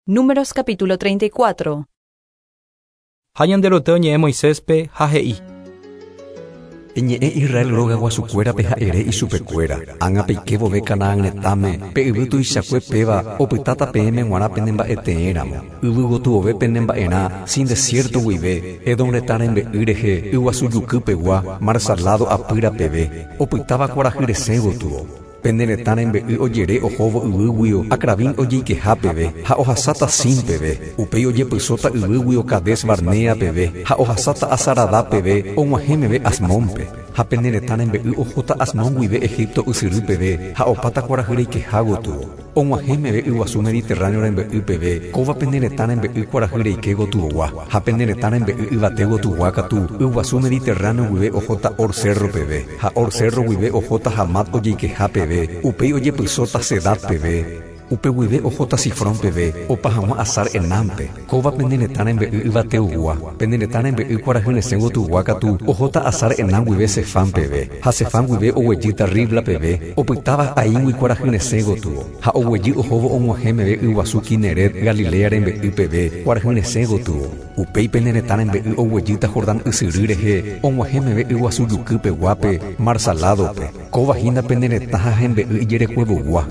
Números capítulo 34. Ha Ñanderuete oñe'ẽ Moiséspe, ha he'i. Eñe'ẽ Israel róga guasukuérape ha ere ichupekuéra, Ág̃a peike vove Canaán retãme, pe yvy tuichakue péva opytáta peẽme g̃uarã pene mba'eteẽ ramo. Yvy gotyove pene mba'erã, Sin desiérto guive, Edom retã rembe'y rehe, yguasu juky pegua, Mar Salado apýra peve, opytáva kuarahy resẽ gotyo. Pene retã rembe'y ojere ohóvo yvýguio Acrabim ojeikeha peve, ha ohasáta Sin peve. Upéi ojepysóta yvýguio Cadés Barnea peve, ha ohasáta Azaradá peve, og̃uahẽ meve Asmónpe. Ha pene retã rembe'y ohóta Asmón guive Egipto ysyry peve, ha opáta kuarahy reikeha gotyo. Og̃uahẽ meve yguasu Mediterráneo rembe'y peve, kóva pene retã rembe'y kuarahy reike gotyogua, ha pene retã rembe'y yvate gotyogua katu, yguasu Mediterráneo guive ohóta Hor cérro peve, ha Hor cérro guive ohóta Hamat ojeikeha peve, upéi ojepysóta Sedad peve, upe guive ohóta Sifrón peve, opa hag̃ua Hazar Enánpe. Kóva pene retã rembe'y yvateogua, pene retã rembe'y kuarahy resẽ gotyogua katu, ohóta Hazar Enán guive Sefam peve, ha Sefam guive oguejýta Ribla peve, opytáva Aíngui kuarahy resẽ gotyo, ha oguejy ohóvo og̃uahẽ meve yguasu Kineret, Galilea rembe'y peve, kuarahy resẽ gotyo. Upéi pene retã rembe'y oguejýta Jordán ysyry rehe, og̃uahẽ meve yguasu juky peguápe, Mar Saládope. Kóva hína pene retã ha hembe'y ijerekuevogua.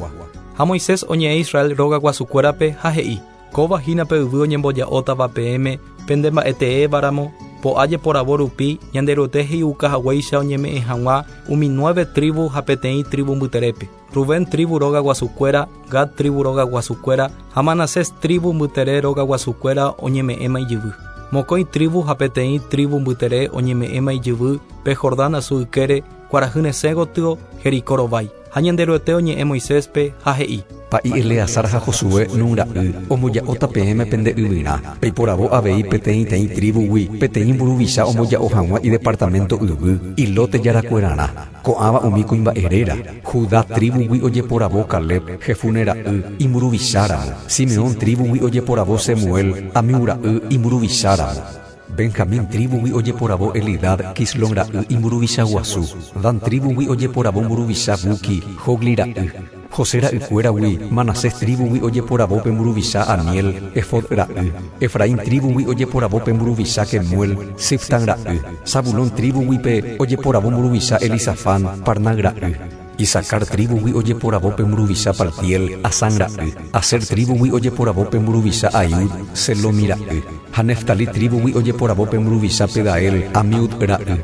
Ha Moisés oñe'ẽ Israel róga guasukuérape ha he'i. Kóva hína pe yvy oñemboja'ótava peẽme pende mba'e teéva ramo, po'a jeporavo rupi Ñanderuete he'iuka haguéicha oñeme'ẽ hag̃ua umi nueve trívu ha peteĩ trívu mbyterépe, Rubén trívu róga guasukuéra, Gad trívu róga guasukuéra ha Manasés trívu mbytere róga guasukuéra oñeme'ẽma ijyvy. Mokõi trívu ha peteĩ trívu mbytere oñeme'ẽma ijyvy pe Jordán asu ykére, kuarahy resẽ gotyo, Jericó rovái. Ha Ñanderuete oñe'ẽ Moiséspe, ha he'i. Pa'i Eleazar ha Josué, Nun ra'y, omboja'óta peẽme pende yvyrã. Peiporavo avei peteĩteĩ trívugui peteĩ mburuvicha omboja'o hag̃ua idepartaménto yvy, ilóte jarakuerarã. Ko'ãva umi kuimba'e réra, Judá trívugui ojeporavo Caleb, Jefune ra'y, imburuvicháramo. Simeón trívugui ojeporavo Semuel, Amiu ra'y, imburuvicháramo. Benjamín trívugui ojeporavo Elidad, Quislón ra'y, imburuvicha guasu. Dan trívugui ojeporavo mburuvicha Buqui, Jogli ra'y. José ra'ykuéragui, Manasés trívugui ojeporavo pe mburuvicha Aniel, Efod ra'y. Efraín trívugui ojeporavo pe mburuvicha Kemuel, Siftan ra'y. Zabulón trívugui pe ojeporavo mburuvicha Elisafán, Parnac ra'y. Isacar trívugui ojeporavo pe mburuvicha Paltiel, Azán ra'y. Aser trívugui ojeporavo pe mburuvicha Ahiud, Selomi ra'y. Ha Neftalí trívugui ojeporavo pe mburuvicha Pedael, Amiud ra'y.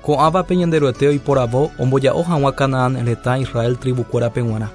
Ko'ãvape Ñanderuete oiporavo omboja'o hag̃ua Canaán retã Israel trivukuérape g̃uarã.